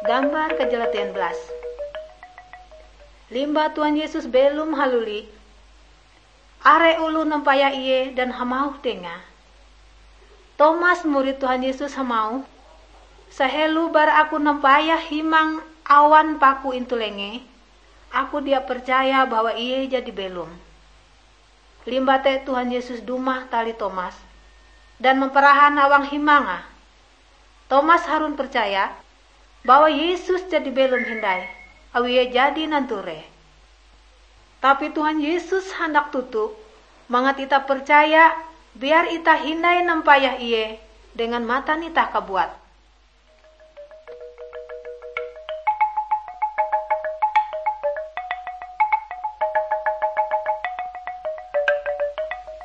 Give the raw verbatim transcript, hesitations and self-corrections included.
Gambar kejela tian belas. Limbah Tuhan Yesus belom haluli, are oloh nampayah Ie dan hamauh Dengae, Tomas, murid Tuhan Yesus, hamauh, "Sahelo bara aku nampayah himang awan paku intu lengee, aku dia percaya bahwa Ie jadi belom." Limbah te Tuhan Yesus dumah tali Tomas dan mamparahan awang himange. Tomas harun percaya bahwa Yesus jadi belom hindai, awi Ie jadi nanture. Tapi Tuhan Yesus handak toto mangat itah percaya, biar itah hindai nampayah Ie dengan matan itah kabuat.